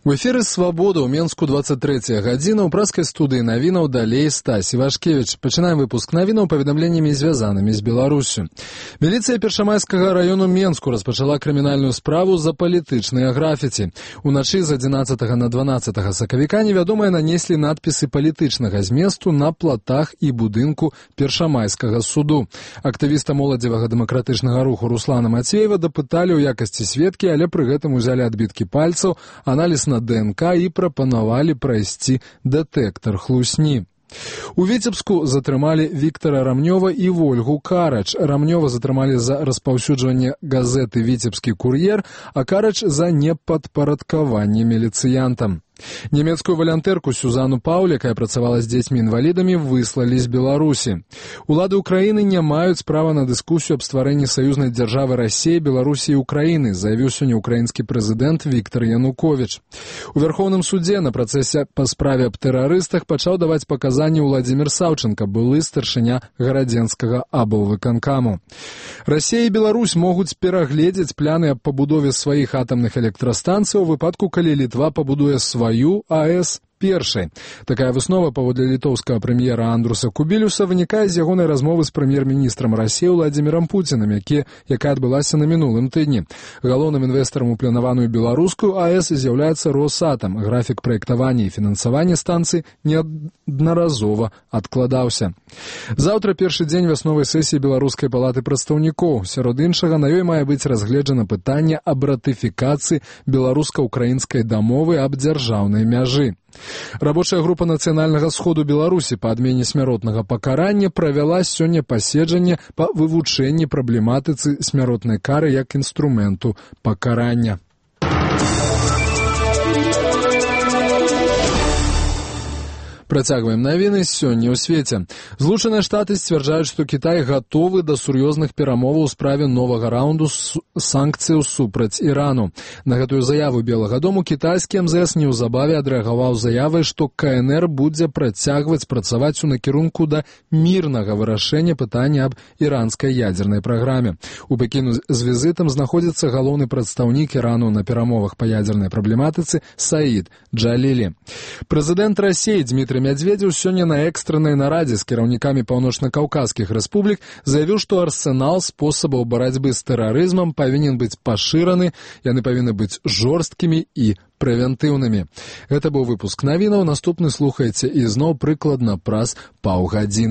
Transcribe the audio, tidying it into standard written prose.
У эфіры «Свабода» ў Менску 23 гадзіна. У праскай студыі навінаў далей Стась Івашкевіч. Пачынаем выпуск навінаў паведамленнямі, звязанымі з Беларусю. Міліцыя Першамайскага раёну Менску распачала крымінальную справу за палітычныя графіці. Уначы з 11 на 12 сакавіка невядомыя нанеслі надпісы палітычнага зместу на платах і будынку Першамайскага суду. Актывіста моладзевага дэмакратычнага руху Руслана Мацеева дапыталі ў якасці сведкі, але пры гэтым узялі адбіткі пальцаў, аналіз на ДНК і прапанавалі прайсці дэтэктар хлусні. У Віцебску затрымалі Віктара Рамнёва і Вольгу Карач. Рамнёва затрымалі за распаўсюджванне газеты «Віцебскі кур'ер», а Карач за непадпарадкаванне міліцыянтам. Нямецкую валянтэрку Сюзану Пауль, якая працавала з дзецьмі-інвалідамі, выслалі з Беларусі. Улады ўкраіны не маюць права на дыскусію аб стварэнні саюзнай дзяржавы Расіі, Беларусі і Украіны, заявіў сёння ўкраінскі прэзідэнт Віктар Януковіч. У Вярхоўным судзе на працэсе па справе аб тэрарыстах пачаў даваць паказанні Владзімір Саўченка, былы старшыня гарадзенскага аблвыканкаму. Расія і Беларусь могуць перагледзець планы аб пабудове сваіх атамных электрастанцый у выпадку, калі Літва пабудуе сваю АЭС першай. Такая выснова паводле літоўскага прэм'ера Андруса Кубілюса вынікае з ягонай размовы з прэм'ер-міністрам Расіі Владзімірам Пуцінам, якая адбылася на мінулым тыдні. Галоўным інвестарам у планаваную беларускую АЭС з'яўляецца Росатам. Графік праектавання і фінансавання станцыі неаднаразова адкладаўся. Заўтра першы дзень вясновай сесіі Беларускай палаты прадстаўнікоў. Сярод іншага, на ёй мае быць разгледжана пытанне аб ратыфікацыі беларуска-украінскай дамовы аб дзяржаўнай мяжы. Рабочая група Нацыянальнага сходу Беларусі па адмене смяротнага пакарання правяла сёння паседжанне па вывучэнні праблематыцы смяротнай кары як інструменту пакарання. Працягваем навіны сёння ў свеце. Злучаныя Штаты сцвярджаюць, што Кітай гатовы да сур'ёзных перамоваў у справе новага раунду санкцыяў супраць Ірану. На гэтую заяву Белага дому кітайскі МЗС неўзабаве адрэагаваў заявай, што КНР будзе працягваць працаваць у накірунку да мірнага вырашэння пытання аб іранскай ядзернай праграме. У Пекіну з візітам знаходзіцца галоўны прадстаўнік Ірану на перамовах па ядзернай праблематыцы Саід Джалілі. Прэзідэнт Расіі Дмітрый Медведзеў сёння на экстраннай нарадзе з кіраўнікамі паўночна-каўказскіх рэспублік заявіў, што арсенал спосабаў барацьбы з тэрарызмам павінен быць пашыраны, яны павінны быць жорсткімі і прэвентыўнымі. Гэта быў выпуск навінаў, наступны слухайце ізноў прыкладна праз паўгадзіны.